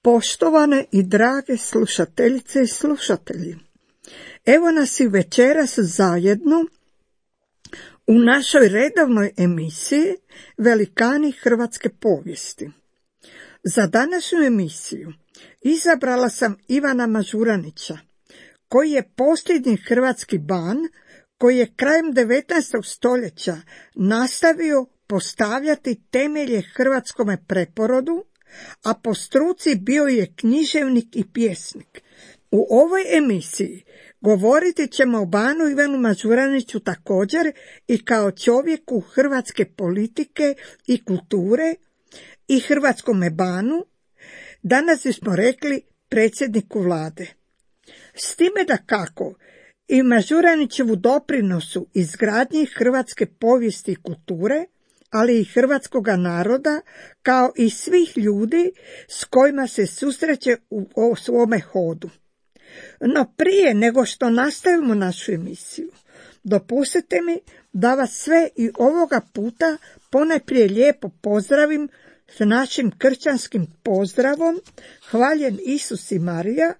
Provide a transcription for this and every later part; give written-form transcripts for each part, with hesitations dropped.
Poštovane i drage slušateljice i slušatelji, evo nas i večeras zajedno u našoj redovnoj emisiji Velikani hrvatske povijesti. Za današnju emisiju izabrala sam Ivana Mažuranića, koji je posljednji hrvatski ban koji je krajem 19. stoljeća nastavio postavljati temelje hrvatskome preporodu, a po struci bio je književnik i pjesnik. U ovoj emisiji govoriti ćemo o banu Ivanu Mažuraniću također i kao čovjeku hrvatske politike i kulture i hrvatskome banu, danas bismo rekli predsjedniku vlade. S time da kako i Mažuranićevu doprinosu izgradnji hrvatske povijesti i kulture, ali i hrvatskoga naroda, kao i svih ljudi s kojima se susreće u svome hodu. No prije nego što nastavimo našu emisiju, dopustite mi da vas sve i ovoga puta ponajprije lijepo pozdravim s našim kršćanskim pozdravom, hvaljen Isus i Marija.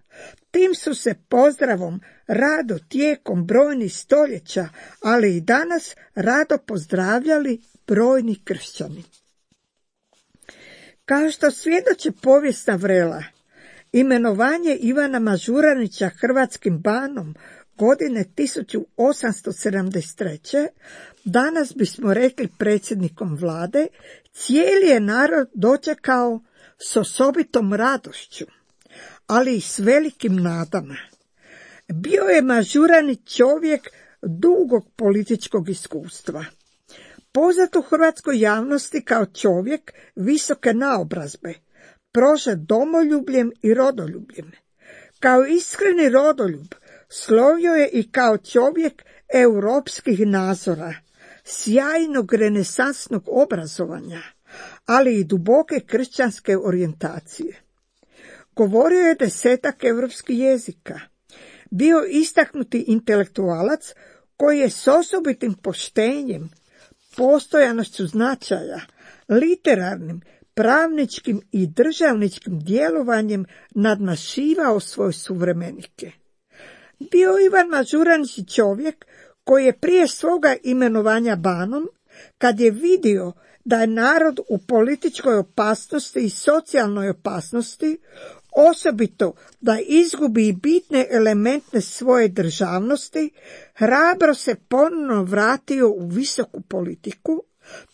Tim su se pozdravom rado tijekom brojnih stoljeća, ali i danas rado pozdravljali brojni kršćani. Kao što svjedoči povijesna vrela, imenovanje Ivana Mažuranića hrvatskim banom godine 1873. danas bismo rekli predsjednikom vlade, cijeli je narod dočekao s osobitom radošću, ali i s velikim nadama. Bio je Mažuranić čovjek dugog političkog iskustva. Poznat u hrvatskoj javnosti kao čovjek visoke naobrazbe, prožet domoljubljem i rodoljubljem. Kao iskreni rodoljub slovio je i kao čovjek europskih nazora, sjajnog renesansnog obrazovanja, ali i duboke kršćanske orijentacije. Govorio je 10 europskih jezika. Bio istaknuti intelektualac koji je s osobitim poštenjem, postojanošću značaja, literarnim, pravničkim i državničkim djelovanjem nadmašivao svoje suvremenike. Bio Ivan Mažuranić čovjek koji je prije svoga imenovanja banom, kad je vidio da je narod u političkoj opasnosti i socijalnoj opasnosti, osobito da izgubi bitne elemente svoje državnosti, hrabro se ponovno vratio u visoku politiku,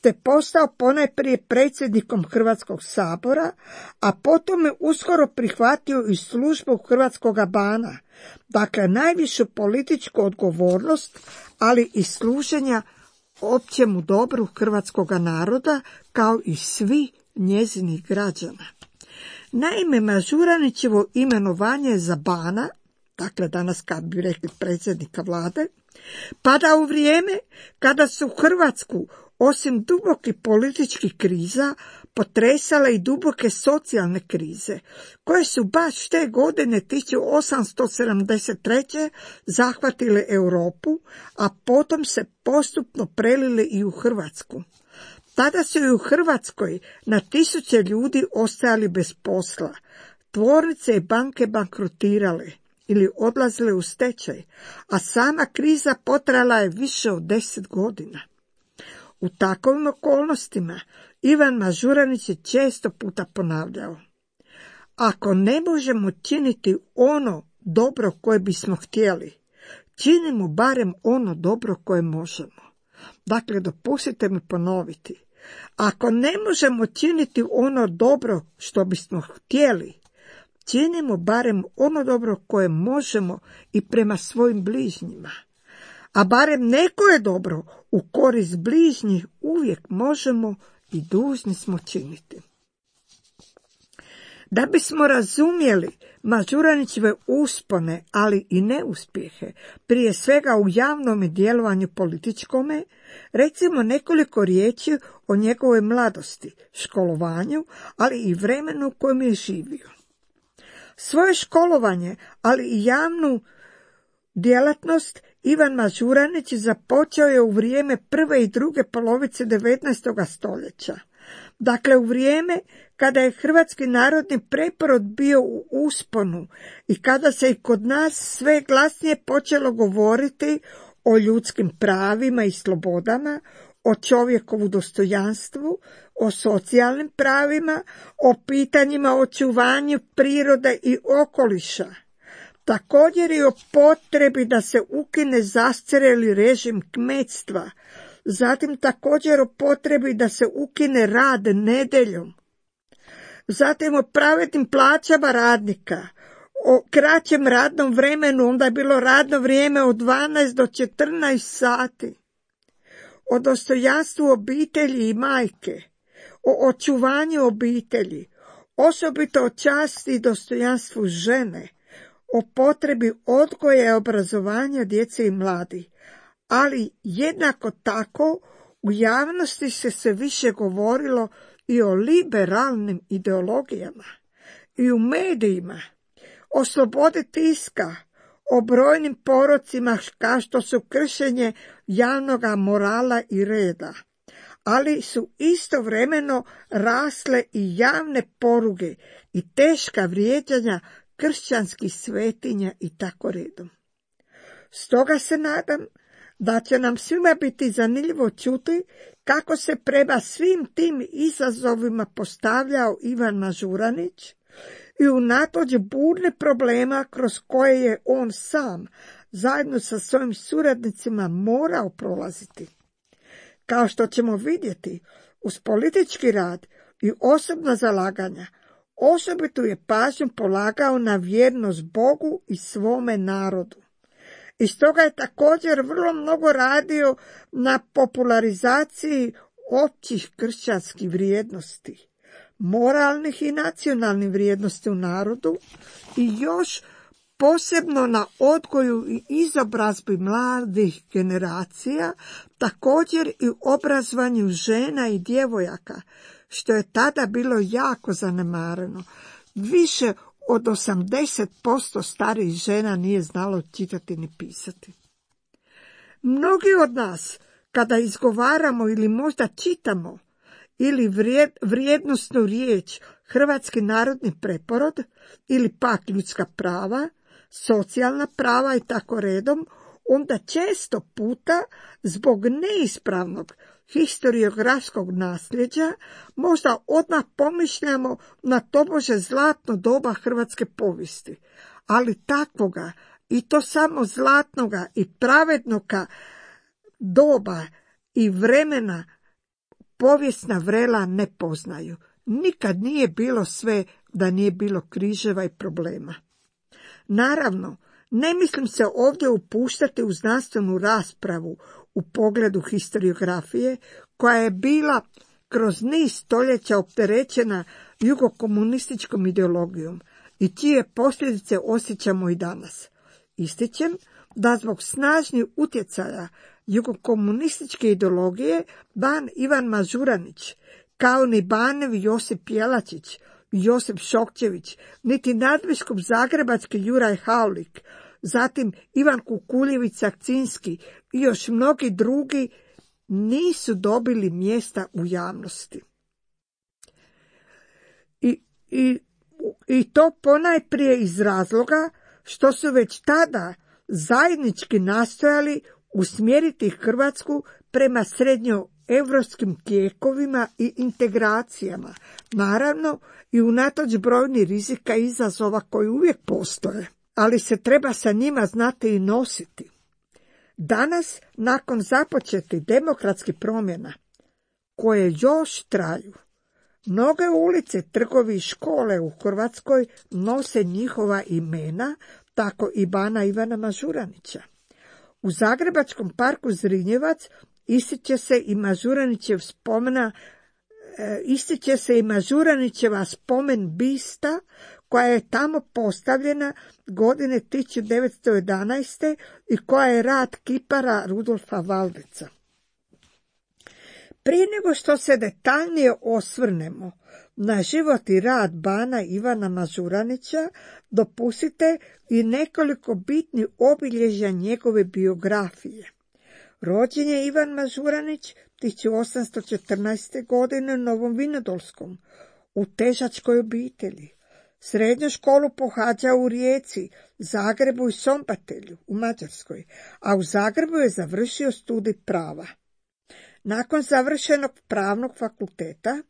te postao ponajprije predsjednikom Hrvatskog sabora, a potom je uskoro prihvatio i službu hrvatskoga bana, dakle najvišu političku odgovornost, ali i služenja općemu dobru hrvatskoga naroda, kao i svi njezinih građana. Naime, Mažuranićevo imenovanje za bana, dakle danas kad bi rekli predsjednika vlade, pada u vrijeme kada su Hrvatsku, osim dubokih političkih kriza, potresale i duboke socijalne krize, koje su baš te godine 1873. zahvatile Europu, a potom se postupno prelile i u Hrvatsku. Tada su i u Hrvatskoj na tisuće ljudi ostajali bez posla, tvornice i banke bankrotirale ili odlazile u stečaj, a sama kriza potrajala je više od 10 godina. U takvim okolnostima Ivan Mažuranić je često puta ponavljao: ako ne možemo činiti ono dobro koje bismo htjeli, činimo barem ono dobro koje možemo. Dakle, dopustite mi ponoviti. Ako ne možemo činiti ono dobro što bismo htjeli, činimo barem ono dobro koje možemo i prema svojim bližnjima. A barem neko je dobro u korist bližnjih uvijek možemo i dužni smo činiti. Da bismo razumjeli Mažuranićeve uspone, ali i neuspjehe, prije svega u javnom djelovanju političkome, recimo nekoliko riječi o njegovoj mladosti, školovanju, ali i vremenu u kojem je živio. Svoje školovanje, ali i javnu djelatnost Ivan Mažuranić započeo je u vrijeme prve i druge polovice 19. stoljeća. Dakle, u vrijeme kada je hrvatski narodni preporod bio u usponu i kada se i kod nas sve glasnije počelo govoriti o ljudskim pravima i slobodama, o čovjekovu dostojanstvu, o socijalnim pravima, o pitanjima očuvanju prirode i okoliša. Također i o potrebi da se ukine zastarjeli režim kmetstva, zatim također o potrebi da se ukine rad nedjeljom, zatim o pravednim plaćama radnika, o kraćem radnom vremenu, onda je bilo radno vrijeme od 12 do 14 sati, o dostojanstvu obitelji i majke, o očuvanju obitelji, osobito o časti i dostojanstvu žene, o potrebi odgoja i obrazovanja djece i mladih, ali jednako tako u javnosti se sve više govorilo i o liberalnim ideologijama, i u medijima, o slobodi tiska, o brojnim porocima kao što su kršenje javnog morala i reda, ali su istovremeno rasle i javne poruge i teška vrijeđanja kršćanskih svetinja i tako redom. Stoga se nadam da će nam svima biti zanimljivo čuti kako se prema svim tim izazovima postavljao Ivan Mažuranić i unatoč burnih problema kroz koje je on sam zajedno sa svojim suradnicima morao prolaziti. Kao što ćemo vidjeti, uz politički rad i osobna zalaganja, osobito je pažnju polagao na vjernost Bogu i svome narodu. I stoga je također vrlo mnogo radio na popularizaciji općih kršćanskih vrijednosti, moralnih i nacionalnih vrijednosti u narodu i još posebno na odgoju i izobrazbi mladih generacija, također i obrazovanju žena i djevojaka, što je tada bilo jako zanemareno. Više od 80% starijih žena nije znalo čitati ni pisati. Mnogi od nas, kada izgovaramo ili možda čitamo ili vrijednosnu riječ hrvatski narodni preporod ili pak ljudska prava, socijalna prava i tako redom, onda često puta zbog neispravnog historiografskog nasljeđa možda odmah pomišljamo na tobože zlatno doba hrvatske povijesti, ali takvoga i to samo zlatnoga i pravednoga doba i vremena povijesna vrela ne poznaju. Nikad nije bilo sve da nije bilo križeva i problema. Naravno, ne mislim se ovdje upuštati u znanstvenu raspravu u pogledu historiografije, koja je bila kroz niz stoljeća opterećena jugokomunističkom ideologijom i čije posljedice osjećamo i danas. Ističem da zbog snažnih utjecaja jugokomunističke ideologije ban Ivan Mažuranić, kao ni banevi Josip Jelačić, Josip Šokčević, niti nadbiskup zagrebački Juraj Haulik, zatim Ivan Kukuljević-Sakcinski i još mnogi drugi nisu dobili mjesta u javnosti. I to ponajprije iz razloga što su već tada zajednički nastojali usmjeriti Hrvatsku prema srednjoevropskim tijekovima i integracijama, naravno i unatoč brojnih rizika i izazova koji uvijek postoje, ali se treba sa njima znati i nositi. Danas, nakon započetih demokratskih promjena, koje još traju, mnoge ulice, trgovi i škole u Hrvatskoj nose njihova imena, tako i bana Ivana Mažuranića. U zagrebačkom parku Zrinjevac ističe se i Mažuranićeva spomen bista koja je tamo postavljena godine 1911. i koja je rad kipara Rudolfa Valdeca. Prije nego što se detaljnije osvrnemo na život i rad bana Ivana Mažuranića, dopustite i nekoliko bitnih obilježja njegove biografije. Rođen je Ivan Mažuranić 1814. godine u Novom Vinodolskom, u težačkoj obitelji. Srednju školu pohađao u Rijeci, Zagrebu i Sombatelju u Mađarskoj, a u Zagrebu je završio studij prava. Nakon završenog pravnog fakulteta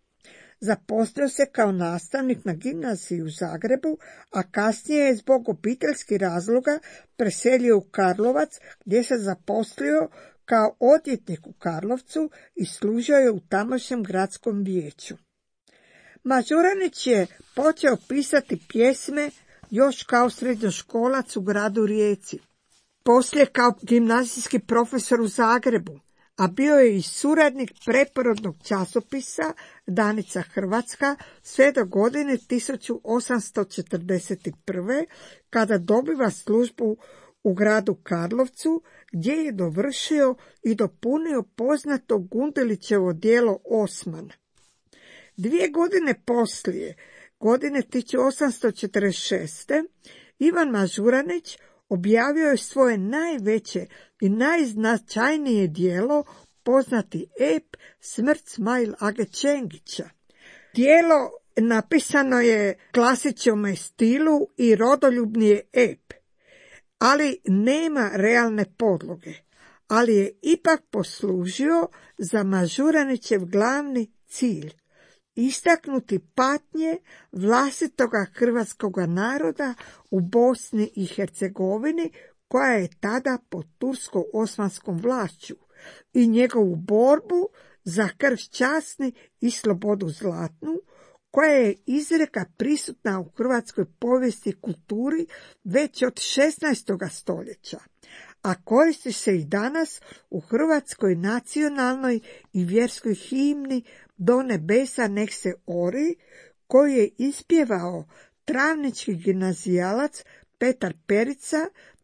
zaposlio se kao nastavnik na gimnaziji u Zagrebu, a kasnije je zbog obiteljskih razloga preselio u Karlovac, gdje se zaposlio kao odvjetnik u Karlovcu i služio je u tamošnjem gradskom vijeću. Mažuranić je počeo pisati pjesme još kao srednjoškolac u gradu Rijeci, poslije kao gimnazijski profesor u Zagrebu, a bio je i suradnik preporodnog časopisa Danica Hrvatska sve do godine 1841. kada dobiva službu u gradu Karlovcu, gdje je dovršio i dopunio poznato Gundelićevo djelo Osman. 2 godine poslije, godine 1846. Ivan Mažuranić objavio je svoje najveće i najznačajnije djelo, poznati ep Smrt Smail Age Čengića. Djelo napisano je klasičnom stilu i rodoljubni je ep, ali nema realne podloge, ali je ipak poslužio za Mažuranićev glavni cilj, istaknuti patnje vlastitoga hrvatskoga naroda u Bosni i Hercegovini, koja je tada pod tursko-osmanskom vlašću, i njegovu borbu za krv časni i slobodu zlatnu, koja je izreka prisutna u hrvatskoj povijesti i kulturi već od 16. stoljeća, a koristi se i danas u hrvatskoj nacionalnoj i vjerskoj himni Do nebesa nek se ori, koju je ispjevao travnički gimnazijalac Petar Perica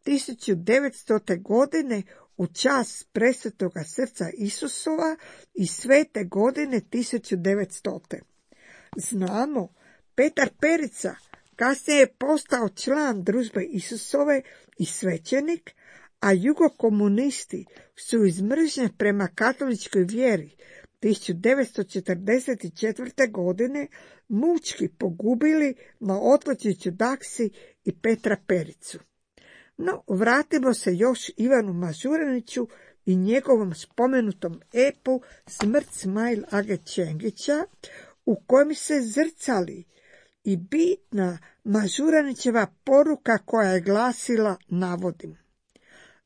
1900. godine u čast presvetoga srca Isusova i svete godine 1900. Znamo, Petar Perica kasnije je postao član Družbe Isusove i svećenik, a jugokomunisti su iz mržnje prema katoličkoj vjeri 1944. godine mučki pogubili na Otlačiću Daksi i Petra Pericu. No, vratimo se još Ivanu Mažuraniću i njegovom spomenutom epu Smrt Smail Age Čengića, u kojem se zrcali i bitna Mažuranićeva poruka koja je glasila, navodim: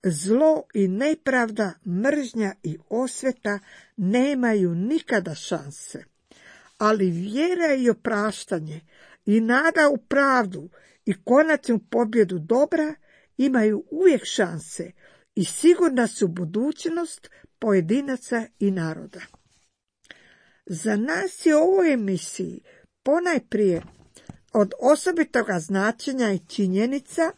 zlo i nepravda, mržnja i osveta nemaju nikada šanse, ali vjera i opraštanje i nada u pravdu i konačnu pobjedu dobra imaju uvijek šanse i sigurna su budućnost pojedinaca i naroda. Za nas je u ovoj emisiji ponajprije od osobitoga značenja i činjenica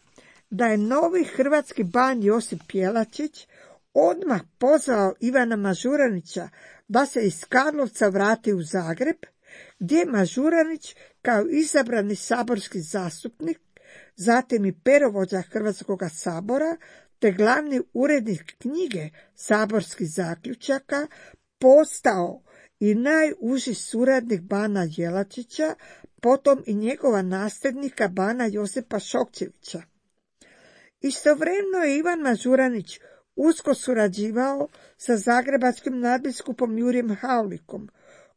da je novi hrvatski ban Josip Jelačić odmah pozvao Ivana Mažuranića da se iz Karlovca vrati u Zagreb, gdje je Mažuranić kao izabrani saborski zastupnik, zatim i perovođa Hrvatskog sabora, te glavni urednik knjige saborskih zaključaka, postao i najuži suradnik bana Jelačića, potom i njegova nasljednika bana Josipa Šokčevića. Istovremeno je Ivan Mažuranić usko surađivao sa zagrebačkim nadbiskupom Jurijem Haulikom,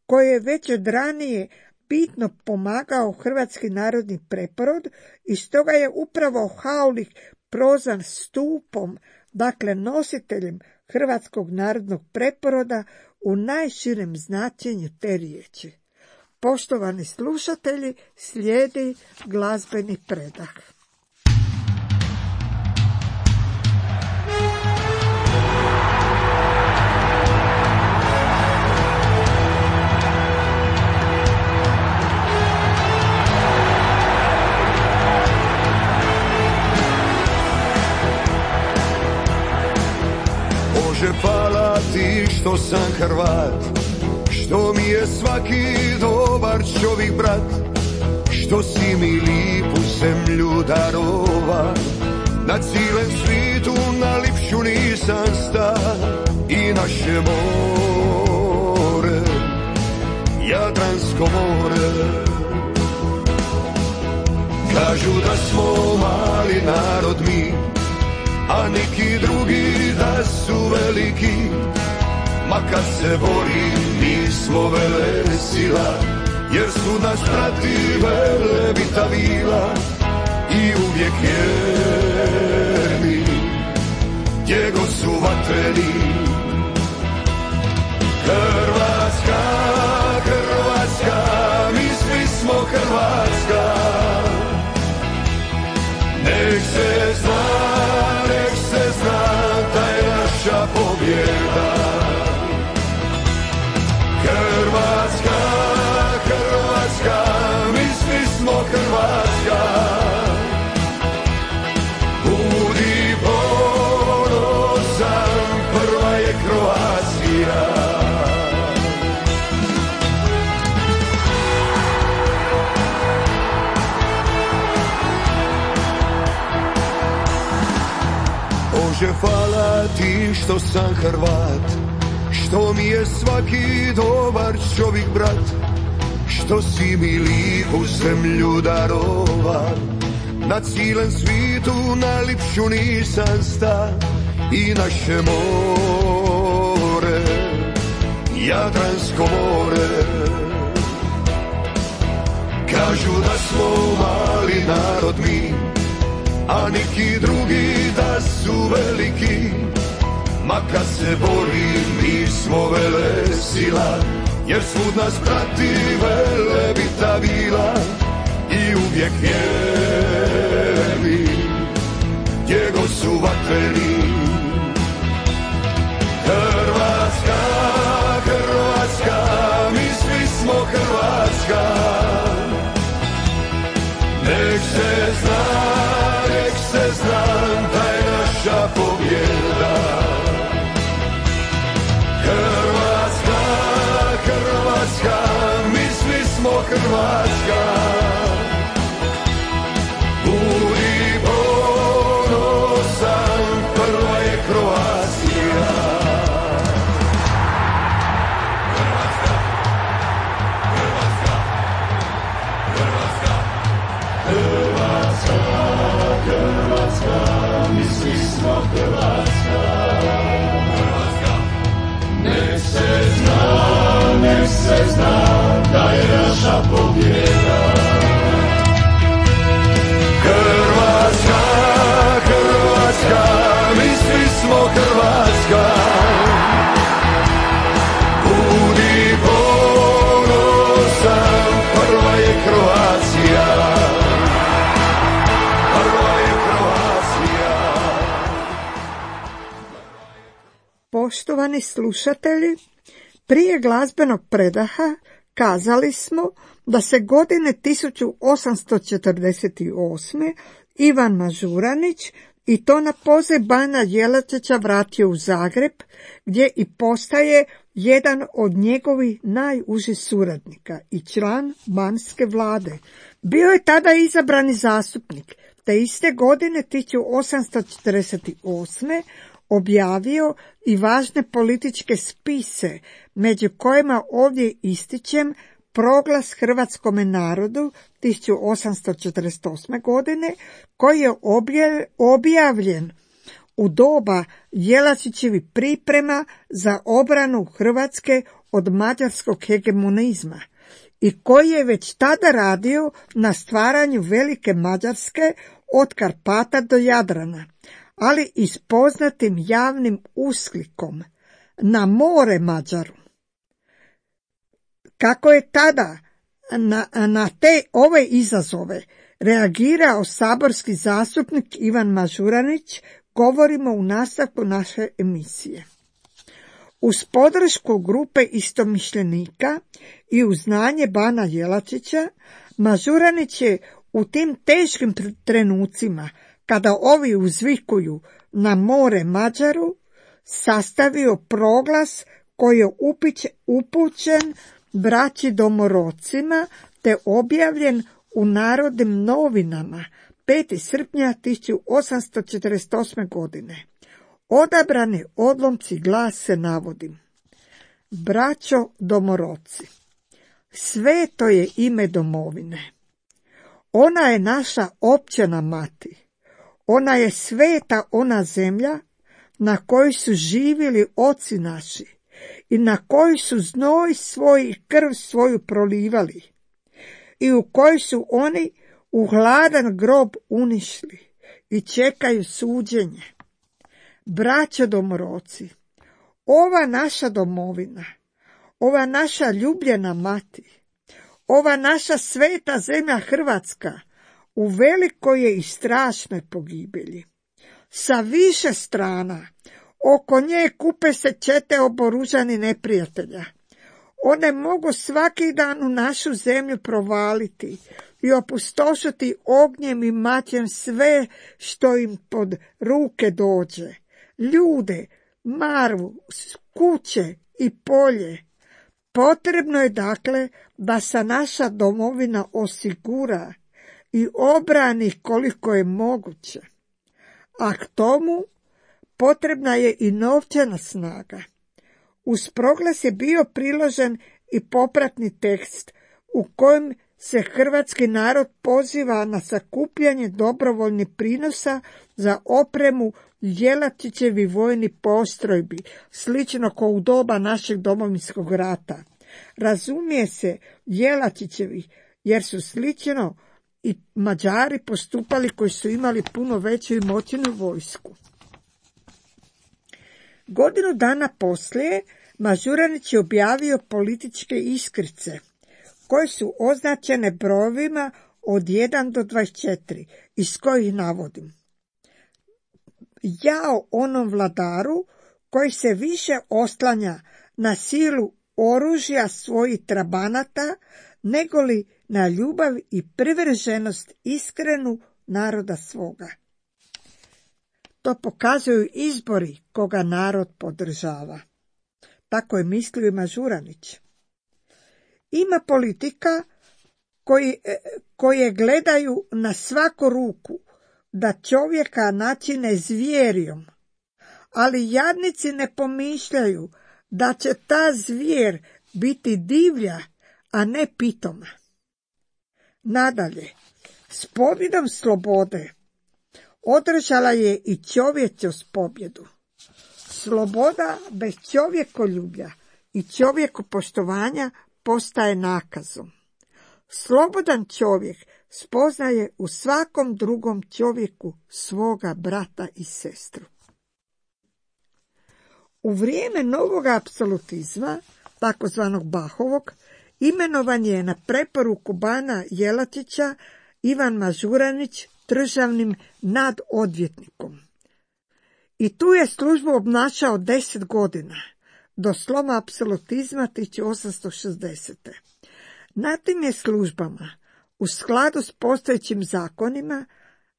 koji je već od ranije bitno pomagao hrvatski narodni preporod i stoga je upravo Haulik prozvan stupom, dakle nositeljem hrvatskog narodnog preporoda u najširem značenju te riječi. Poštovani slušatelji, slijedi glazbeni predah. Bože, hvala ti što sam Hrvat, što mi je svaki dobar čovjek brat, što si mi lipu zemlju darova, na cijelem svitu na lipšu nisam sta. Jadransko more. Kažu da smo mali narod mi, a neki drugi da su veliki. Ma kad se bori, mi smo velesila, jer su nas pratile lebita vila i uvijek vjerni, gdje god su vatreni. Hrvatska, Hrvatska, mi svi smo Hrvatska. Nek se zna da je naša pobjeda. Hrvatska, Hrvatska, mi svi smo Hrvatska. Budi ponosan, prva je Kroacija. Bože, hvala ti što sam Hrvat, što mi je svaki dobar čovjek brat, što si mi lijepu zemlju darova. Na cijelom svijetu najljepšu nisam sta i naše more, Jadransko more. Kažu da smo mali narod mi, a neki drugi da su veliki. Ma kad se bori, mi smo velesila, jer svud nas prati velebita vila i uvijek vjerni, gdje god su vatreni. Hrvatska, Hrvatska, mi svi smo Hrvatska. Nek se zna da je naša pobjeda. Hrvatska, Hrvatska, mi svi smo Hrvatska. Budi ponosan, prva je Kroacija. Hrvatska, Hrvatska, Hrvatska, Hrvatska, Hrvatska, mi svi smo Hrvatska. Nek se zna da je naša pobjeda. Hrvatska, Hrvatska, mi svi smo Hrvatska. Budi ponosan, prva je Kroacija. Prva je Kroacija. Poštovani slušatelji, prije glazbenog predaha kazali smo da se godine 1848. Ivan Mažuranić, i to na poziv bana Jelačića, vratio u Zagreb, gdje i postaje jedan od njegovih najužih suradnika i član banske vlade. Bio je tada izabrani zastupnik, te iste godine 1848. objavio i važne političke spise, među kojima ovdje ističem Proglas hrvatskome narodu 1848. godine, koji je objavljen u doba Jelačićevih priprema za obranu Hrvatske od mađarskog hegemonizma i koji je već tada radio na stvaranju velike Mađarske od Karpata do Jadrana, ali i s poznatim javnim usklikom na more Mađaru. Kako je tada na ove izazove reagirao saborski zastupnik Ivan Mažuranić, govorimo u nastavku naše emisije. Uz podršku grupe istomišljenika i uz znanje bana Jelačića, Mažuranić je u tim teškim trenucima, kada ovi uzvikuju na more Mađaru, sastavio proglas koji je upućen braći domorocima te objavljen u Narodnim novinama 5. srpnja 1848. godine. Odabrani odlomci glase navodim. Braćo domoroci, Sveto je ime domovine. Ona je naša općena mati. Ona je sveta ona zemlja na kojoj su živjeli oci naši i na kojoj su znoj svoj i krv svoju prolivali i u kojoj su oni u hladan grob unišli i čekaju suđenje. Braćo domoroci, ova naša domovina, ova naša ljubljena mati, ova naša sveta zemlja Hrvatska u velikoj je i strašnoj pogibelji. Sa više strana oko nje kupe se čete oboružani neprijatelja. One mogu svaki dan u našu zemlju provaliti i opustošiti ognjem i maćem sve što im pod ruke dođe. Ljude, marvu, kuće i polje. Potrebno je dakle da se naša domovina osigura i obrani koliko je moguće. A k tomu potrebna je i novčana snaga. Uz proglas je bio priložen i popratni tekst u kojem se hrvatski narod poziva na sakupljanje dobrovoljnih prinosa za opremu Jelačićevi vojni postrojbi, slično kao u doba našeg Domovinskog rata. Razumije se Jelačićevi, jer su slično i Mađari postupali koji su imali puno veću i moćnu vojsku. Godinu dana poslije Mažuranić je objavio političke iskrice, koje su označene brojevima od 1 do 24, iz kojih navodim: jao onom vladaru koji se više oslanja na silu oružja svojih trabanata, negoli na ljubav i privrženost iskrenu naroda svoga. To pokazuju izbori koga narod podržava. Tako je mislio i Mažuranić. Ima politika koje gledaju na svaku ruku da čovjeka načine zvijerijom, ali jadnici ne pomišljaju da će ta zvijer biti divlja, a ne pitoma. Nadalje, s pobjedom slobode održala je i čovječost pobjedu. Sloboda bez čovjekoljublja i čovjekopoštovanja postaje nakazom. Slobodan čovjek spoznaje u svakom drugom čovjeku svoga brata i sestru. U vrijeme novog apsolutizma, takozvanog Bahovog, imenovan je na preporuku bana Jelačića Ivan Mažuranić državnim nadodvjetnikom. I tu je službu obnašao 10 godina, do sloma apsolutizma 1860. Na tim je službama, u skladu s postojećim zakonima,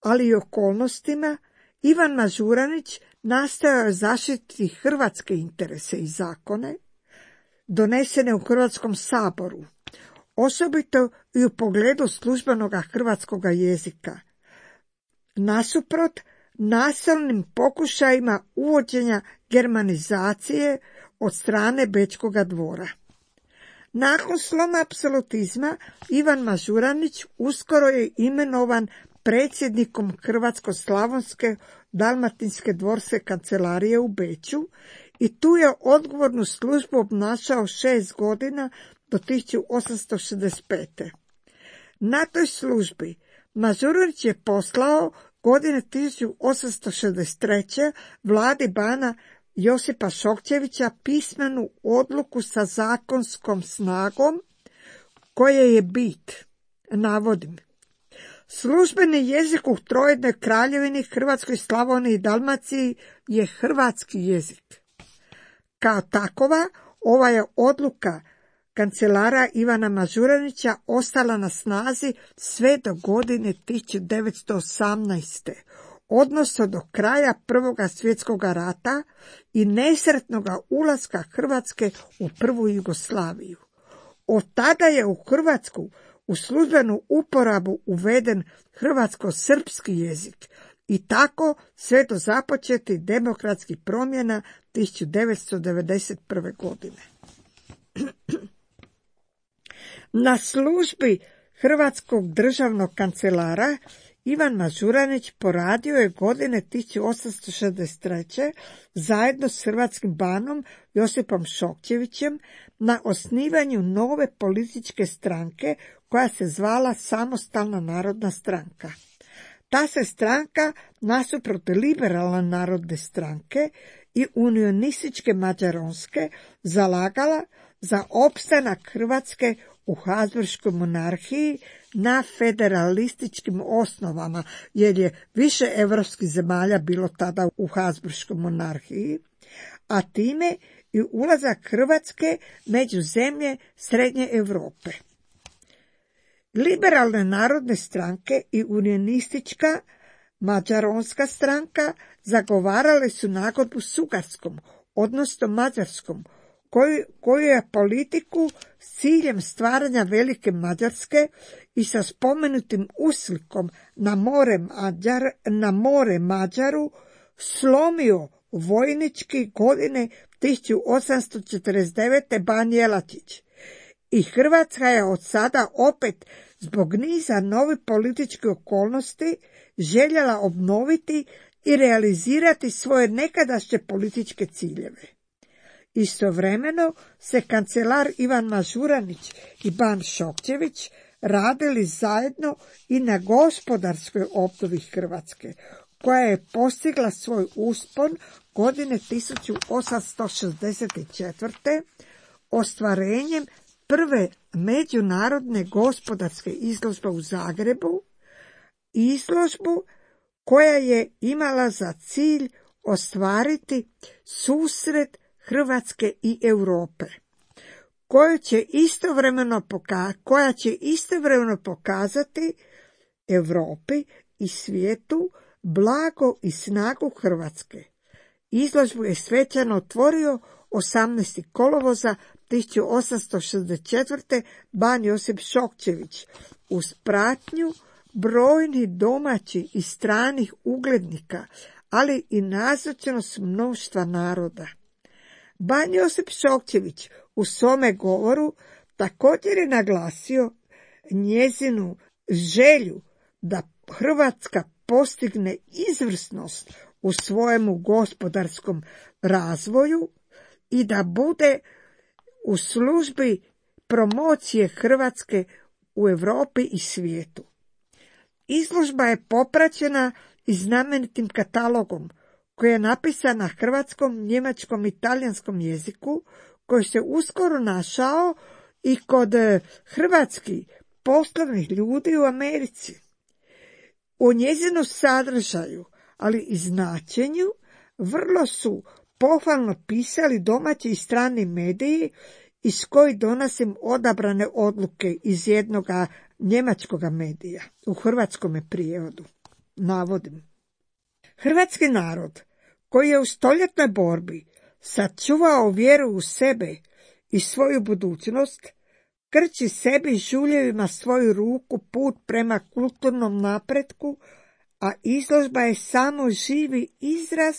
ali i okolnostima, Ivan Mažuranić nastojao je zaštititi hrvatske interese i zakone, donesene u Hrvatskom saboru, osobito i u pogledu službenog hrvatskog jezika, nasuprot nasilnim pokušajima uvođenja germanizacije od strane Bečkog dvora. Nakon sloma apsolutizma Ivan Mažuranić uskoro je imenovan predsjednikom Hrvatsko-slavonske dalmatinske dvorske kancelarije u Beču i tu je odgovornu službu obnašao 6 godina do 1865. Na toj službi Mažuranić je poslao godine 1863. vladi bana Josipa Šokčevića pismenu odluku sa zakonskom snagom, koje je bit, navodim: službeni jezik u trojednoj kraljevini Hrvatskoj, Slavoniji i Dalmaciji je hrvatski jezik. Kao takova, ova je odluka kancelara Ivana Mažuranića ostala na snazi sve do godine 1918. odnosno do kraja Prvoga svjetskog rata i nesretnoga ulaska Hrvatske u prvu Jugoslaviju. Od tada je u Hrvatsku u službenu uporabu uveden hrvatsko-srpski jezik i tako sve do započetih demokratskih promjena 1991. godine. Na službi hrvatskog državnog kancelara Ivan Mažuranić poradio je godine 1863. zajedno s hrvatskim banom Josipom Šokčevićem na osnivanju nove političke stranke koja se zvala Samostalna narodna stranka. Ta se stranka nasuprot liberalne narodne stranke i unionističke mađaronske zalagala za opstanak Hrvatske u Habsburškoj monarhiji na federalističkim osnovama, jer je više europskih zemalja bilo tada u Habsburškoj monarhiji, a time i ulazak Hrvatske među zemlje Srednje Europe. Liberalne narodne stranke i unionistička mađaronska stranka zagovarale su nagodbu s Ugarskom, odnosno Mađarskom, koju je politiku s ciljem stvaranja velike Mađarske i sa spomenutim uslikom na more Mađaru slomio vojnički godine 1849. Ban Jelačić. I Hrvatska je od sada opet zbog niza novih političkih okolnosti željela obnoviti i realizirati svoje nekadašnje političke ciljeve. Istovremeno se kancelar Ivan Mažuranić i ban Šokčević radili zajedno i na gospodarskoj obnovi Hrvatske, koja je postigla svoj uspon godine 1864. ostvarenjem prve međunarodne gospodarske izložbe u Zagrebu, izložbu koja je imala za cilj ostvariti susret Hrvatske i Europe, koja će istovremeno pokazati Europi i svijetu blago i snagu Hrvatske. Izložbu je svečano otvorio 18. kolovoza 1864. ban Josip Šokčević uz pratnju brojnih domaćih i stranih uglednika, ali i nazočnost mnoštva naroda. Ban Josip Šokčević u svome govoru također je naglasio njezinu želju da Hrvatska postigne izvrsnost u svojemu gospodarskom razvoju i da bude u službi promocije Hrvatske u Europi i svijetu. Izložba je popraćena i znamenitim katalogom koji je napisan na hrvatskom, njemačkom i talijanskom jeziku, koji se uskoro našao i kod hrvatskih poslovnih ljudi u Americi. U njezinu sadržaju, ali i značenju, vrlo su pohvalno pisali domaći i strani mediji iz kojih donosim odabrane odluke iz jednoga njemačkoga medija, u hrvatskome prijevodu. Navodim. Hrvatski narod, koji je u stoljetnoj borbi sačuvao vjeru u sebe i svoju budućnost, krči sebi žuljevima svoju ruku put prema kulturnom napretku, a izložba je samo živi izraz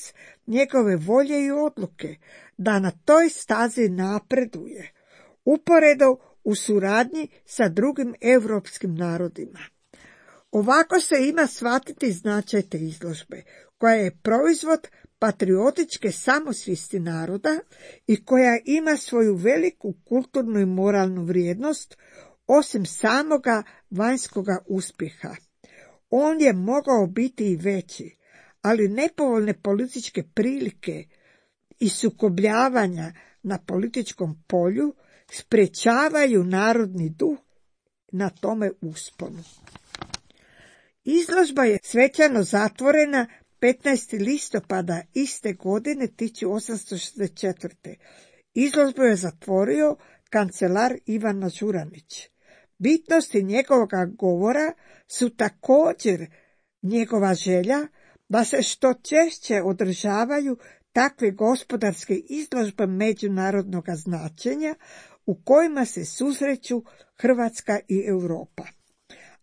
njegove volje i odluke da na toj stazi napreduje, uporedo u suradnji sa drugim europskim narodima. Ovako se ima shvatiti značaj te izložbe, koja je proizvod patriotičke samosvijesti naroda i koja ima svoju veliku kulturnu i moralnu vrijednost, osim samoga vanjskoga uspjeha. On je mogao biti i veći, ali nepovoljne političke prilike i sukobljavanja na političkom polju sprječavaju narodni duh na tome usponu. Izložba je svečano zatvorena 15. listopada iste godine 1864. Izložbu je zatvorio kancelar Ivan Mažuranić. Bitnosti njegovoga govora su također njegova želja da se što češće održavaju takve gospodarske izložbe međunarodnog značenja u kojima se susreću Hrvatska i Europa.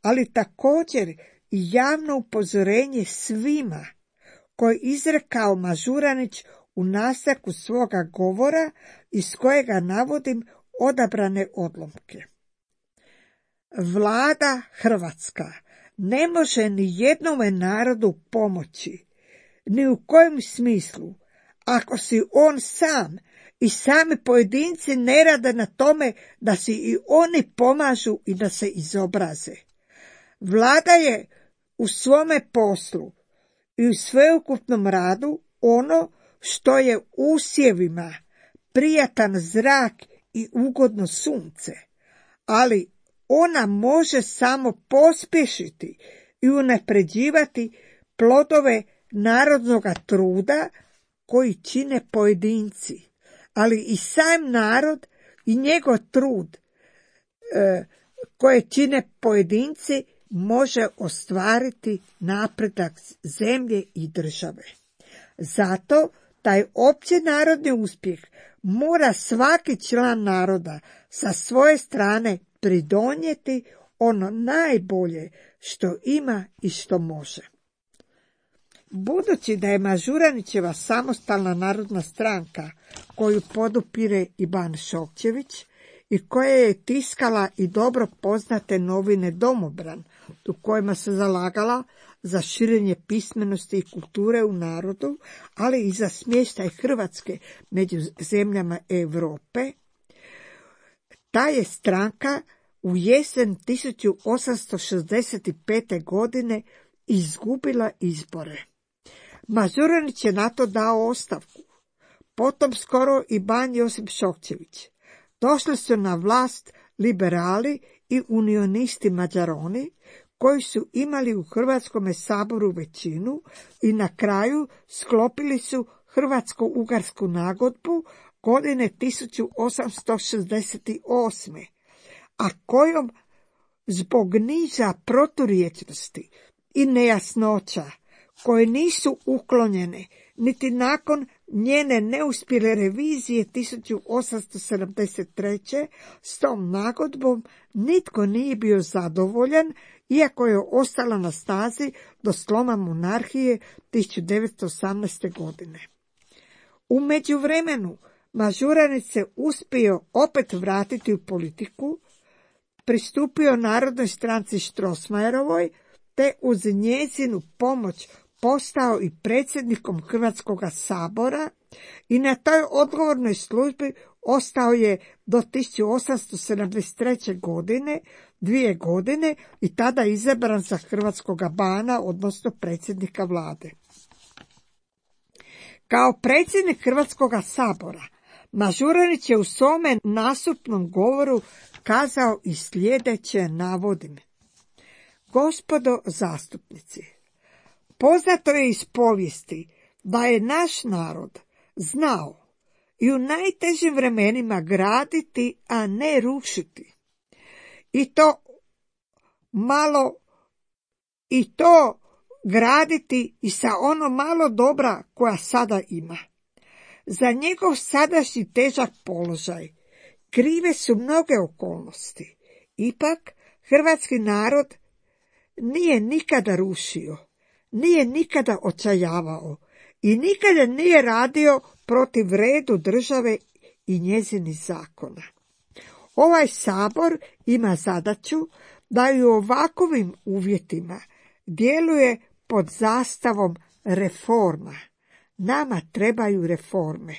Ali također i javno upozorenje svima koje izrekao Mažuranić u nastavku svoga govora iz kojega navodim odabrane odlomke. Vlada Hrvatska ne može ni jednome narodu pomoći, ni u kojem smislu, ako si on sam i sami pojedinci ne rade na tome da si i oni pomažu i da se izobraze. Vlada je u svome poslu i u sveukupnom radu ono što je usjevima prijatan zrak i ugodno sunce, ali ona može samo pospješiti i unapređivati plodove narodnog truda koji čine pojedinci, ali i sam narod i njegov trud koje čine pojedinci može ostvariti napredak zemlje i države. Zato taj opći narodni uspjeh mora svaki član naroda sa svoje strane pridonijeti ono najbolje što ima i što može. Budući da je Mažuranićeva samostalna narodna stranka, koju podupire i Ban Šokčević i koja je tiskala i dobro poznate novine Domobran, u kojima se zalagala za širenje pismenosti i kulture u narodu, ali i za smještaj Hrvatske među zemljama Europe, ta je stranka u jesen 1865. godine izgubila izbore. Mažuranić je na to dao ostavku. Potom skoro i Ban Josip Šokčević. Došli su na vlast liberali i unionisti Mađaroni, koji su imali u Hrvatskom saboru većinu i na kraju sklopili su Hrvatsko-ugarsku nagodbu godine 1868. a kojom zbog niza proturječnosti i nejasnoća koje nisu uklonjene niti nakon njene neuspjele revizije 1873. s tom nagodbom nitko nije bio zadovoljan, iako je ostala na snazi do sloma monarhije 1918. godine. U međuvremenu Mažuranić se uspio opet vratiti u politiku, pristupio Narodnoj stranci Strossmayerovoj, te uz njezinu pomoć postao i predsjednikom Hrvatskog sabora i na toj odgovornoj službi ostao je do 1873. godine, 2 godine, i tada izabran za hrvatskoga bana, odnosno predsjednika vlade. Kao predsjednik Hrvatskog sabora, Mažuranić je u svome nastupnom govoru kazao i sljedeće, navodim: Gospodo zastupnici, poznato je iz povijesti da je naš narod znao i u najtežim vremenima graditi, a ne rušiti. I to graditi i sa ono malo dobra koja sada ima. Za njegov sadašnji težak položaj krive su mnoge okolnosti. Ipak, hrvatski narod nije nikada rušio, nije nikada očajavao i nikada nije radio protiv redu države i njezinih zakona. Ovaj sabor ima zadaću da i u ovakovim uvjetima djeluje pod zastavom reforma. Nama trebaju reforme.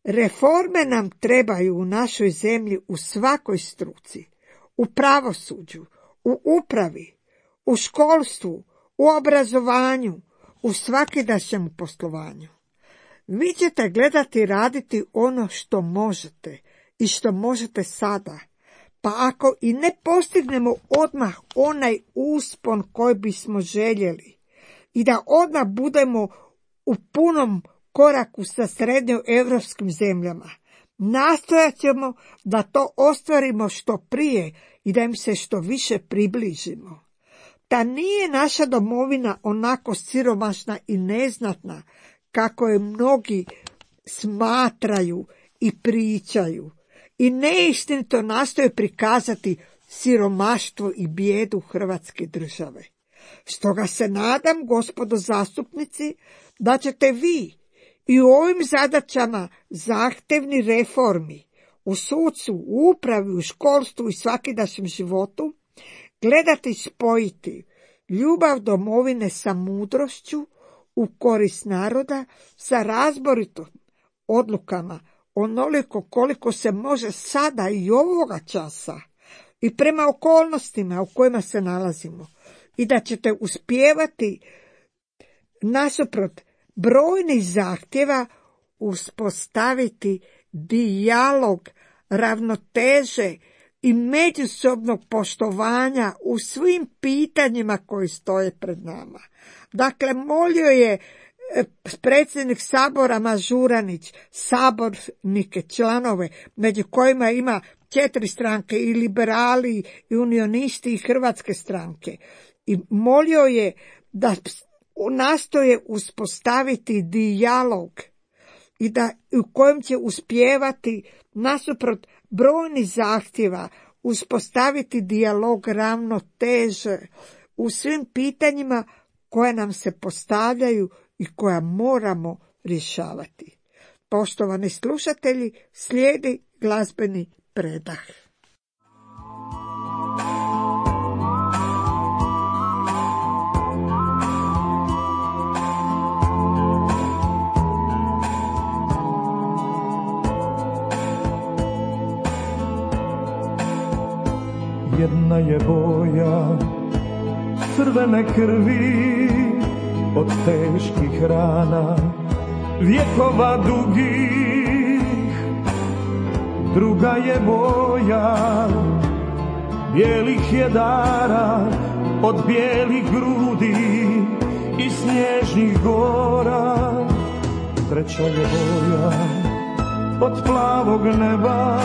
Reforme nam trebaju u našoj zemlji u svakoj struci, u pravosuđu, u upravi, u školstvu, u obrazovanju, u svakidašnjem poslovanju. Vi ćete gledati i raditi ono što možete i što možete sada, pa ako i ne postignemo odmah onaj uspon koji bismo željeli i da odmah budemo u punom koraku sa srednjoevropskim zemljama, nastojat ćemo da to ostvarimo što prije i da im se što više približimo. Ta nije naša domovina onako siromašna i neznatna kako je mnogi smatraju i pričaju i neistinito nastoje prikazati siromaštvo i bijedu Hrvatske države. Stoga se nadam, gospodo zastupnici, da ćete vi i u ovim zadaćama zahtevni reformi u sudstvu, u upravi, u školstvu i svakidašnjem životu, gledati i spojiti ljubav domovine sa mudrošću u korist naroda, sa razboritom odlukama, onoliko koliko se može sada i ovoga časa i prema okolnostima u kojima se nalazimo, i da ćete uspijevati nasuprot brojnih zahtjeva uspostaviti dijalog, ravnoteže i međusobnog poštovanja u svim pitanjima koji stoje pred nama. Dakle, molio je predsjednik Sabora Mažuranić sabornike, članove, među kojima ima 4 stranke, i liberali, i unionisti, i hrvatske stranke. I molio je da nastoje uspostaviti dijalog i da u kojem će uspijevati nasuprot brojnih zahtjeva uspostaviti dijalog, ravnoteže u svim pitanjima koja nam se postavljaju i koja moramo rješavati. Poštovani slušatelji, slijedi glazbeni predah. Jedna je boja crvene krvi od teških rana, vjekova dugih. Druga je boja bijelih jedara od bijelih grudi i snježnih gora. Treća je boja od plavog neba,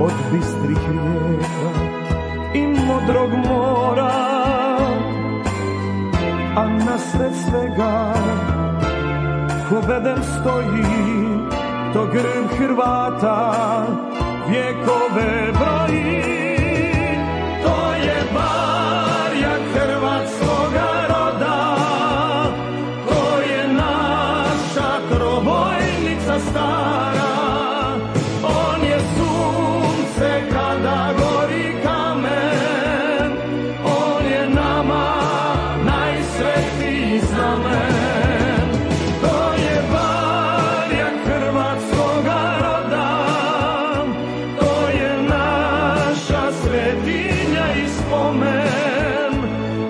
od bistrih rijeka i modrog mora, a nasred svega ko bedem stoji, to grb Hrvata vjekove broji. To je barjak hrvatskoga roda, to je naša trobojnica stara. On je sunce kada gori kamen, on je nama najsvetiji znamen. To je barjak hrvatskoga roda, to je naša svetinja i spomen.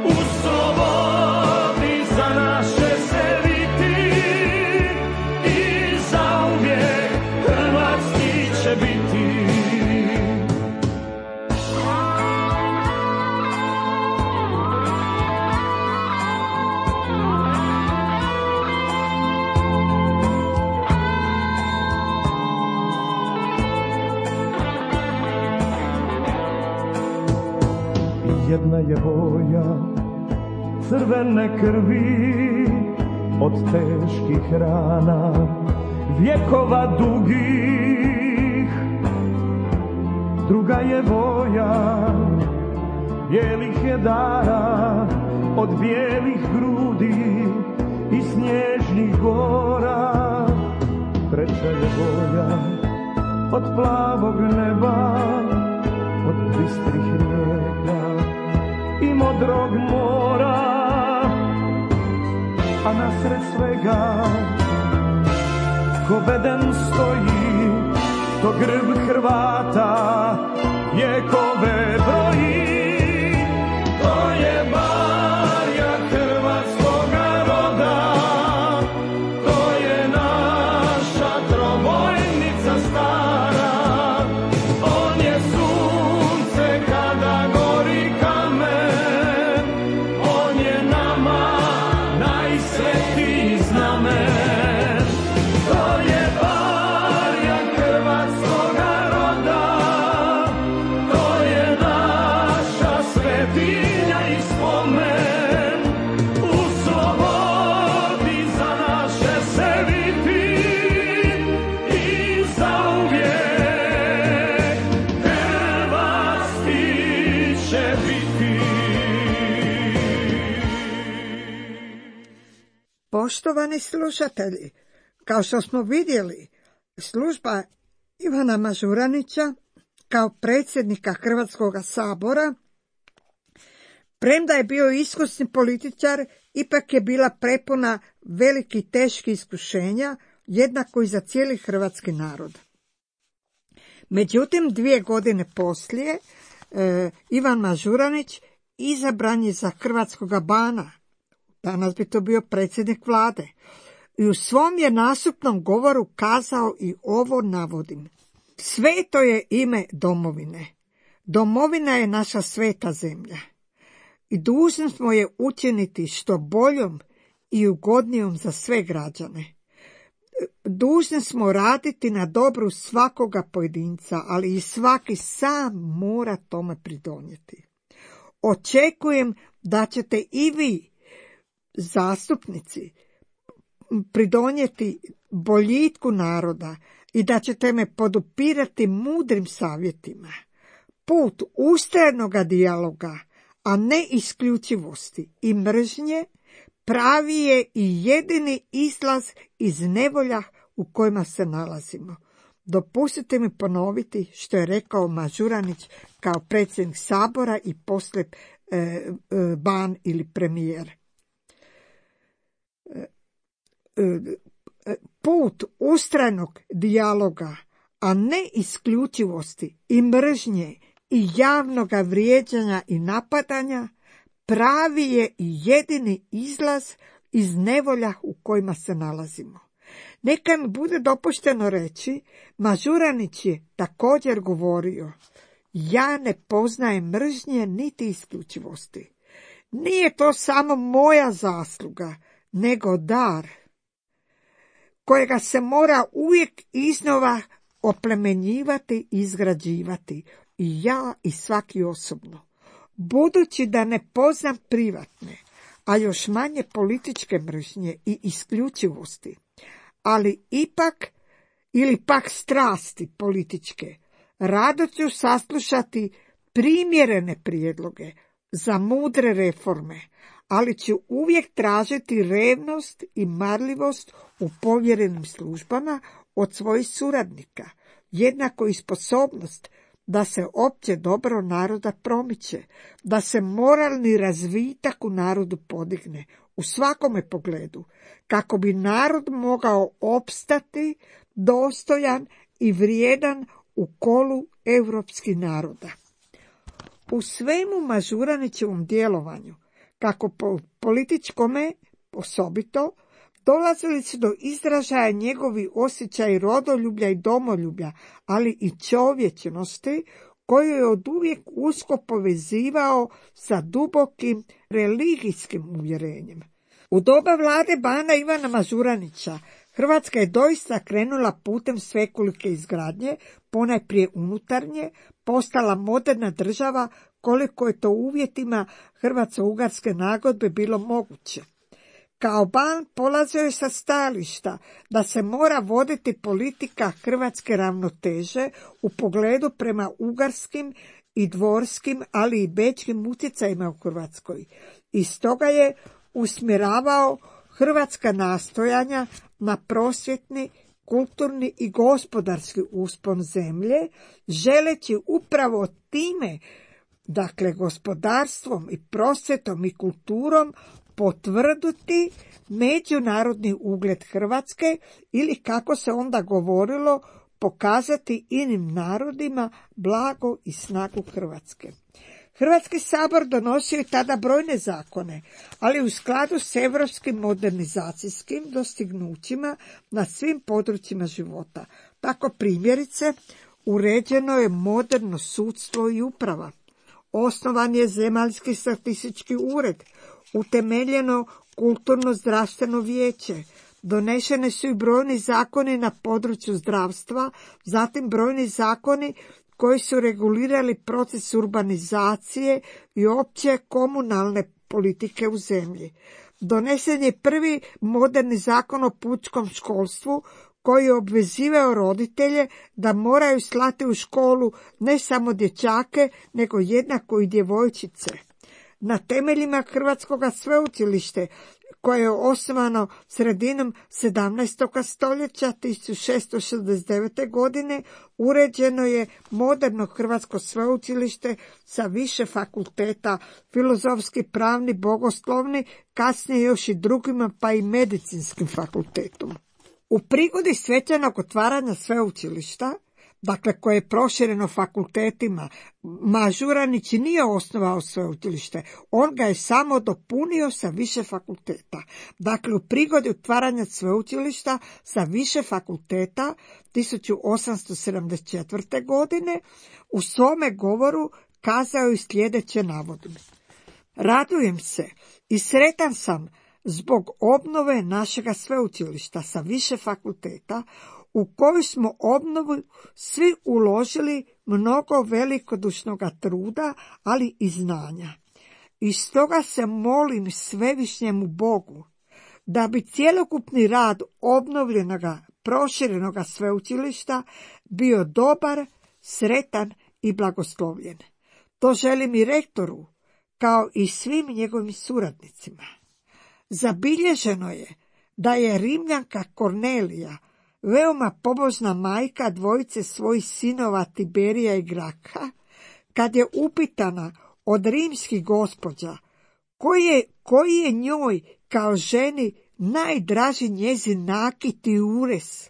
U slobodi za naše se viti i zauvijek hrvatski će biti. Jedna je boja crvene krvi od teških rana, vjekova dugih. Druga je boja bijelih jedara od bijelih grudi i snježnih gora. Treća je boja od plavog neba, od bistrih rijeka i modrog mora, a nasred svega ko bedem stoji, to grb Hrvata vjekove broji. To je barjak hrvatskoga roda, to je naša trobojnica stara. On je sunce kada gori kamen, on je nama najsvetiji znamen. To je barjak hrvatskoga roda, to je naša svetinja i spomen. U slobodi za naše se viti i zauvijek hrvatski će biti. Poštovani slušatelji, kao što smo vidjeli, služba Ivana Mažuranića kao predsjednika Hrvatskog sabora. Premda je bio iskusni političar, ipak je bila prepuna velikih i teških iskušenja, jednako i za cijeli hrvatski narod. Međutim, 2 godine poslije, Ivan Mažuranić izabran je za hrvatskoga bana. Danas bi to bio predsjednik vlade. I u svom je nastupnom govoru kazao i ovo navodim. Sveto je ime domovine. Domovina je naša sveta zemlja. I dužni smo je učiniti što boljom i ugodnijom za sve građane. Dužni smo raditi na dobru svakoga pojedinca, ali i svaki sam mora tome pridonijeti. Očekujem da ćete i vi, zastupnici, pridonijeti boljitku naroda i da ćete me podupirati mudrim savjetima. Put ustrajnoga dijaloga, a ne isključivosti i mržnje, pravi je i jedini izlaz iz nevolja u kojima se nalazimo. Dopustite mi ponoviti što je rekao Mažuranić kao predsjednik sabora i poslije ban ili premijer. Put ustrajnog dijaloga, a ne isključivosti i mržnje i javnoga vrijeđanja i napadanja, pravi je i jedini izlaz iz nevolja u kojima se nalazimo. Neka mi bude dopušteno reći, Mažuranić je također govorio, ja ne poznajem mržnje niti isključivosti. Nije to samo moja zasluga, nego dar, kojega se mora uvijek iznova oplemenjivati i izgrađivati, i ja i svaki osobno. Budući da ne poznam privatne, a još manje političke mržnje i isključivosti, ali ipak ili pak strasti političke, rado ću saslušati primjerene prijedloge za mudre reforme, ali ću uvijek tražiti revnost i marljivost u povjerenim službama od svojih suradnika, jednako i sposobnost da se opće dobro naroda promiče, da se moralni razvitak u narodu podigne u svakome pogledu, kako bi narod mogao opstati dostojan i vrijedan u kolu europskih naroda. U svemu Mažuranićevom djelovanju, kako političkome osobito, dolazili su do izražaja njegovi osjećaj rodoljublja i domoljublja, ali i čovječnosti, koju je oduvijek usko povezivao sa dubokim religijskim uvjerenjem. U doba vlade bana Ivana Mažuranića Hrvatska je doista krenula putem svekolike izgradnje, ponajprije unutarnje, postala moderna država koliko je to u uvjetima Hrvatsko-ugarske nagodbe bilo moguće. Kao ban polazio je sa stajališta da se mora voditi politika hrvatske ravnoteže u pogledu prema ugarskim i dvorskim, ali i bečkim utjecajima u Hrvatskoj. I stoga je usmjeravao hrvatska nastojanja na prosvjetni, kulturni i gospodarski uspon zemlje, želeći upravo time, dakle gospodarstvom i prosvjetom i kulturom, potvrditi međunarodni ugled Hrvatske ili, kako se onda govorilo, pokazati inim narodima blago i snagu Hrvatske. Hrvatski sabor donosio je tada brojne zakone, ali u skladu s europskim modernizacijskim dostignućima na svim područjima života. Tako primjerice, uređeno je moderno sudstvo i uprava. Osnovan je Zemaljski statistički ured, utemeljeno kulturno zdravstveno vijeće, donešene su i brojni zakoni na području zdravstva, zatim brojni zakoni koji su regulirali proces urbanizacije i opće komunalne politike u zemlji. Donesen je prvi moderni zakon o pučkom školstvu, koji je obvezivao roditelje da moraju slati u školu ne samo dječake, nego jednako i djevojčice. Na temeljima Hrvatskoga sveučilište, koje je osnovano sredinom 17. stoljeća 1669. godine, uređeno je moderno hrvatsko sveučilište sa više fakulteta, filozofski, pravni, bogoslovni, kasnije još i drugima, pa i medicinskim fakultetom. U prigodi svečanog otvaranja sveučilišta, dakle koje je prošireno fakultetima, Mažuranić nije osnovao sveučilište, on ga je samo dopunio sa više fakulteta. Dakle, u prigodi otvaranja sveučilišta sa više fakulteta 1874. godine u svome govoru kazao je sljedeće, navodim: radujem se i sretan sam zbog obnove našega sveučilišta sa više fakulteta, u koju smo obnovu svi uložili mnogo velikodušnoga truda, ali i znanja. I stoga se molim svevišnjemu Bogu da bi cjelokupni rad obnovljenoga, proširenoga sveučilišta bio dobar, sretan i blagoslovljen. To želim i rektoru, kao i svim njegovim suradnicima. Zabilježeno je da je Rimljanka Kornelija, veoma pobožna majka dvojice svojih sinova Tiberija i Graka, kad je upitana od rimskih gospođa koji je njoj kao ženi najdraži njezin nakit i ures,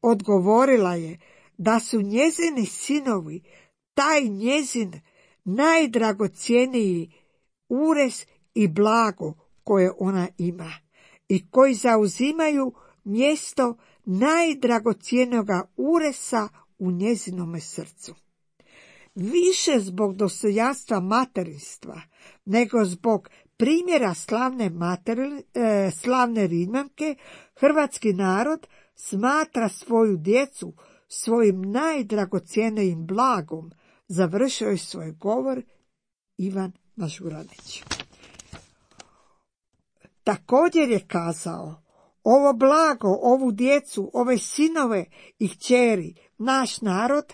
odgovorila je da su njezini sinovi taj njezin najdragocjeniji ures i blago koje ona ima i koji zauzimaju mjesto najdragocjenoga uresa u njezinome srcu. Više zbog dostojanstva materinstva, nego zbog primjera slavne Rimljanke, hrvatski narod smatra svoju djecu svojim najdragocjenijim blagom, završio je svoj govor Ivan Mažuranić. Također je kazao: ovo blago, ovu djecu, ove sinove i kćeri, naš narod,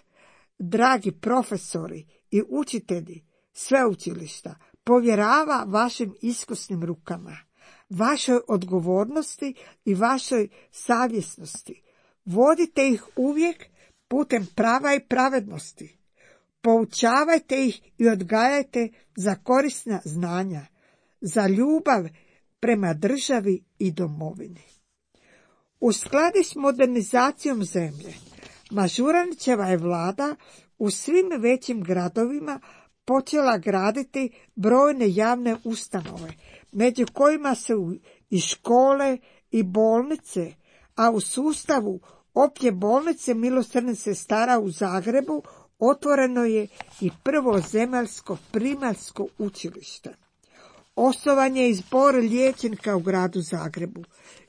dragi profesori i učitelji sveučilišta, povjerava vašim iskusnim rukama, vašoj odgovornosti i vašoj savjesnosti. Vodite ih uvijek putem prava i pravednosti. Poučavajte ih i odgajajte za korisna znanja, za ljubav prema državi i domovini. U skladu s modernizacijom zemlje, Mažuranićeva je vlada u svim većim gradovima počela graditi brojne javne ustanove, među kojima su i škole i bolnice, a u sustavu opće bolnice Milosrdnih sestara u Zagrebu otvoreno je i prvo zemaljsko primaljsko učilište. Osnovan je i zbor liječnika u gradu Zagrebu.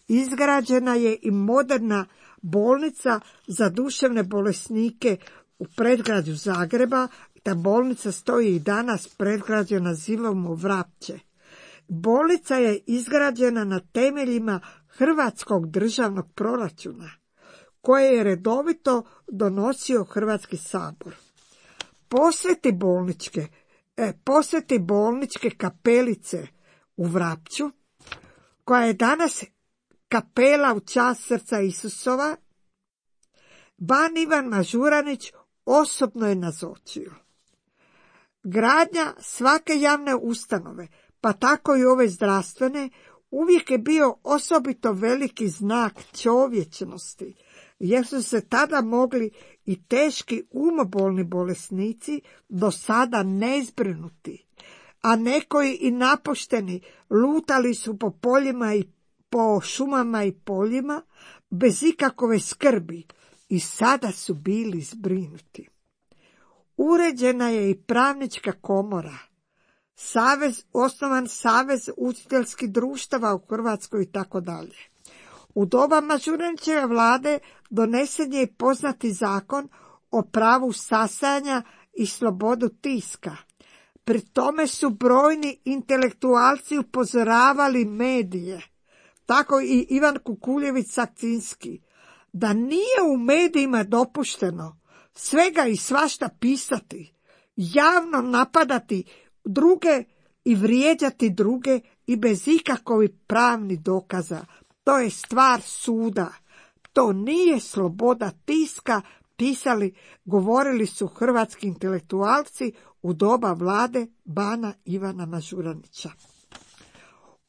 Izgrađena je i moderna bolnica za duševne bolesnike u predgrađu Zagreba. Ta bolnica stoji i danas, predgrađe nazivamo Vrapče. Bolnica je izgrađena na temeljima Hrvatskog državnog proračuna, koje je redovito donosio Hrvatski sabor. Posjeti bolničke kapelice u Vrapču, koja je danas kapela u čast srca Isusova, ban Ivan Mažuranić osobno je nazočio. Gradnja svake javne ustanove, pa tako i ove zdravstvene, uvijek je bio osobito veliki znak čovječnosti, jer su se tada mogli i teški umobolni bolesnici do sada nezbrinuti, a nekoji i napušteni lutali su po poljima i po šumama i poljima bez ikakove skrbi i sada su bili zbrinuti. Uređena je i pravnička komora, osnovan savez učiteljskih društava u Hrvatskoj i tako dalje. U doba Mažuranićeve vlade donesen je i poznati zakon o pravu sastajanja i slobodu tiska. Pri tome su brojni intelektualci upozoravali medije, tako i Ivan Kukuljević-Sakcinski, da nije u medijima dopušteno svega i svašta pisati, javno napadati druge i vrijeđati druge i bez ikakovih pravnih dokaza. To je stvar suda. To nije sloboda tiska, govorili su hrvatski intelektualci u doba vlade bana Ivana Mažuranića.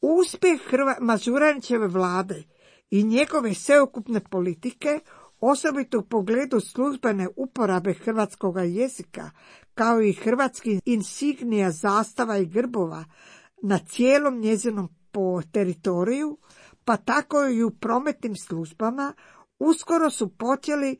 Uspjeh Mažuranićeve vlade i njegove sveukupne politike, osobito u pogledu službene uporabe hrvatskoga jezika, kao i hrvatskih insignija, zastava i grbova na cijelom njezinom teritoriju, pa tako i u prometnim službama, uskoro su počeli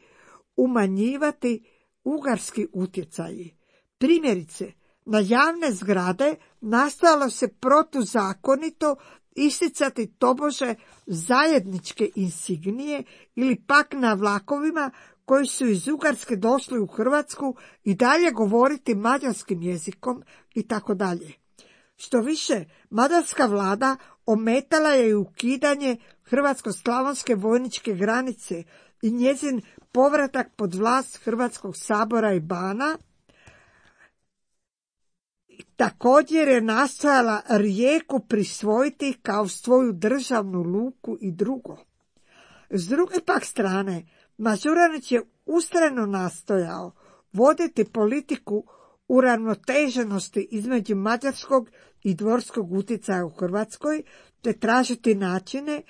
umanjivati ugarski utjecaji. Primjerice, na javne zgrade nastojalo se protuzakonito isticati tobože zajedničke insignije ili pak na vlakovima koji su iz Ugarske došli u Hrvatsku i dalje govoriti mađarskim jezikom i tako dalje. Što više, mađarska vlada ometala je i ukidanje hrvatsko-slavonske vojničke granice i njezin povratak pod vlast Hrvatskog sabora i bana. Također je nastojala Rijeku prisvojiti kao svoju državnu luku i drugo. S druge pak strane, Mažuranić je ustrajno nastojao voditi politiku uravnoteženosti između mađarskog i dvorskog utjecaja u Hrvatskoj, te tražiti načine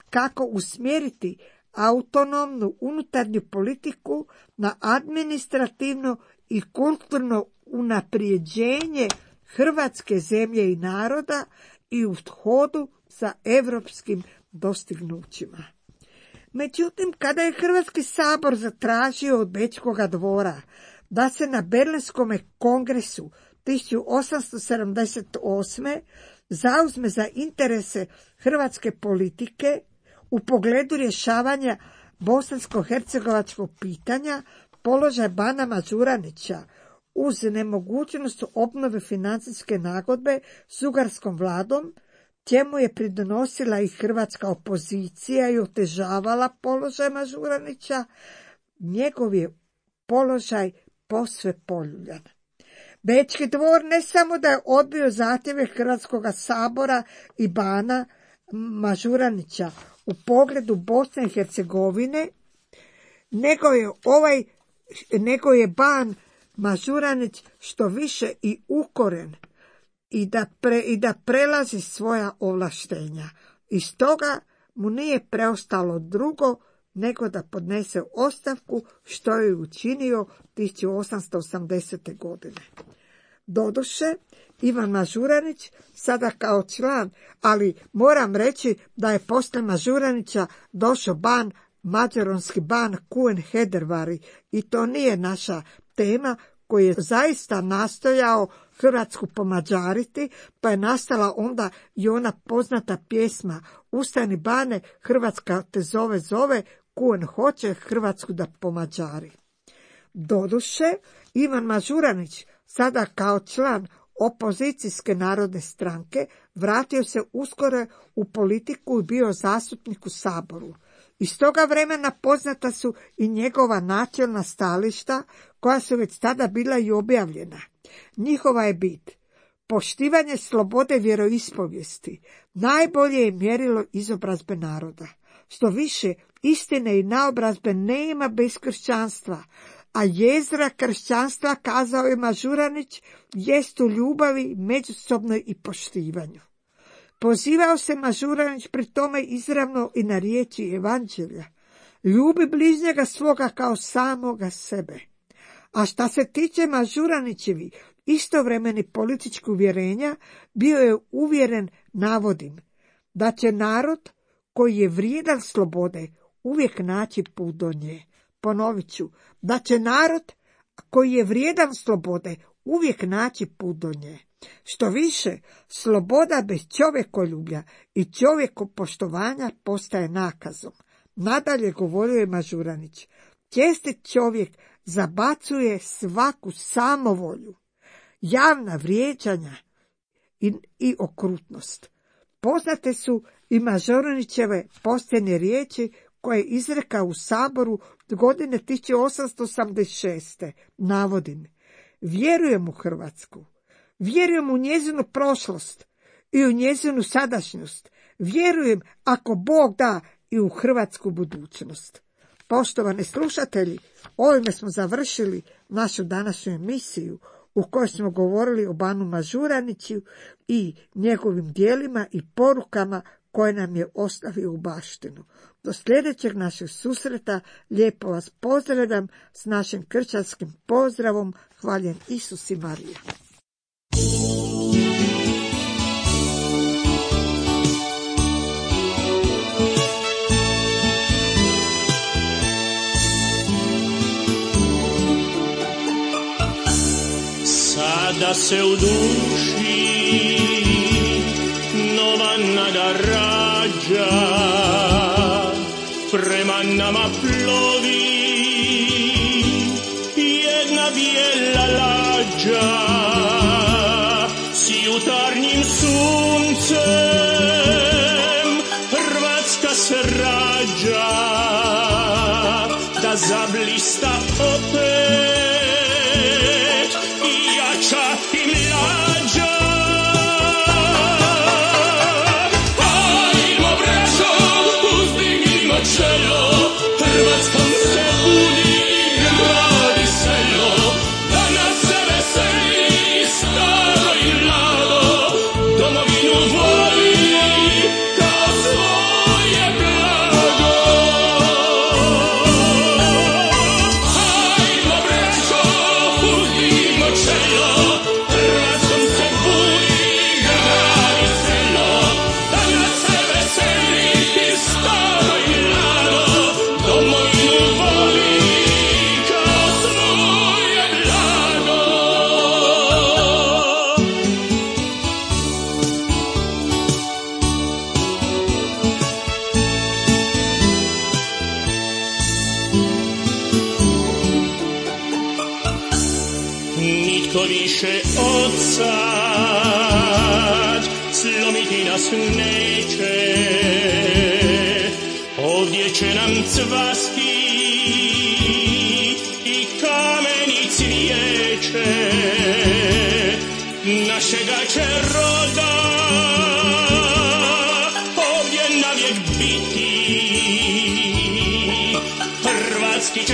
kako usmjeriti autonomnu unutarnju politiku na administrativno i kulturno unaprijeđenje hrvatske zemlje i naroda i u hodu sa europskim dostignućima. Međutim, kada je Hrvatski sabor zatražio od Bečkoga dvora da se na Berlinskom kongresu 1878. zauzme za interese hrvatske politike u pogledu rješavanja bosansko-hercegovačkog pitanja, položaj bana Mažuranića uz nemogućnost obnove financijske nagodbe s ugarskom vladom, čemu je pridonosila i hrvatska opozicija i otežavala položaj Mažuranića, njegov je položaj posve poljuljan. Bečki dvor ne samo da je odbio zahtjeve Hrvatskog sabora i bana Mažuranića u pogledu Bosne i Hercegovine, nego je ban Mažuranić što više i ukoren i da prelazi svoja ovlaštenja. I stoga mu nije preostalo drugo nego da podnese ostavku, što je učinio 1880. godine. Doduše, Ivan Mažuranić sada kao član, ali moram reći da je poslije Mažuranića došao ban, mađaronski ban Kuen Hedervari, i to nije naša tema, koji je zaista nastojao Hrvatsku pomađariti, pa je nastala onda i ona poznata pjesma Ustani bane, Hrvatska te zove, Kuen hoće Hrvatsku da pomađari. Doduše, Ivan Mažuranić, sada kao član opozicijske narodne stranke, vratio se uskoro u politiku i bio zastupnik u Saboru. Iz toga vremena poznata su i njegova načelna stajališta, koja su već tada bila i objavljena. Njihova je bit: poštivanje slobode vjeroispovijesti najbolje je mjerilo izobrazbe naroda. Što više, istine i naobrazbe nema bez kršćanstva, a jezgra kršćanstva, kazao je Mažuranić, jest u ljubavi, međusobnoj i poštivanju. Pozivao se Mažuranić pri tome izravno i na riječi Evanđelja: ljubi bližnjega svoga kao samoga sebe. A šta se tiče Mažuranićevi istovremeni političkih uvjerenja, bio je uvjeren, navodim, da će narod koji je vrijedan slobode uvijek naći put do nje. Ponovit ću, da će narod koji je vrijedan slobode uvijek naći put do nje. Što više, sloboda bez čovjekoljublja i čovjekopoštovanja postaje nakazom. Nadalje govorio je Mažuranić: čestit čovjek zabacuje svaku samovolju, javna vrijeđanja i okrutnost. Poznate su i Mažuranićeve posljednje riječi koje je izrekao u Saboru godine 1886. Navodim: vjerujem u Hrvatsku, vjerujem u njezinu prošlost i u njezinu sadašnjost. Vjerujem, ako Bog da, i u hrvatsku budućnost. Poštovani slušatelji, ovime smo završili našu današnju emisiju u kojoj smo govorili o Banu Mažuraniću i njegovim dijelima i porukama koje nam je ostavio u baštinu. Do sljedećeg našeg susreta lijepo vas pozdravljam s našim kršćanskim pozdravom. Hvaljen Isus i Marija. Sada se u duši nova nada rađa, prema nama plovi jedna bijela lađa, s jutarnjim suncem Hrvatska se rađa, da zablista opet i jača i mlađa. Hajmo braćo, uzdignimo čelo, Hrvatskom se budi grad i selo, da nas se veseli staro i mlado, domovinu voli kao svoje blago. Hajmo braćo, uzdignimo čelo, Hrvatskom se budi grad i selo, da nas se veseli staro i mlado, domovinu voli kao svoje blago. Nitko više od sad slomiti nas neće, ovdje će nam cvasti i kameni cvijeće, našega će roda ovdje navijek biti, hrvatski će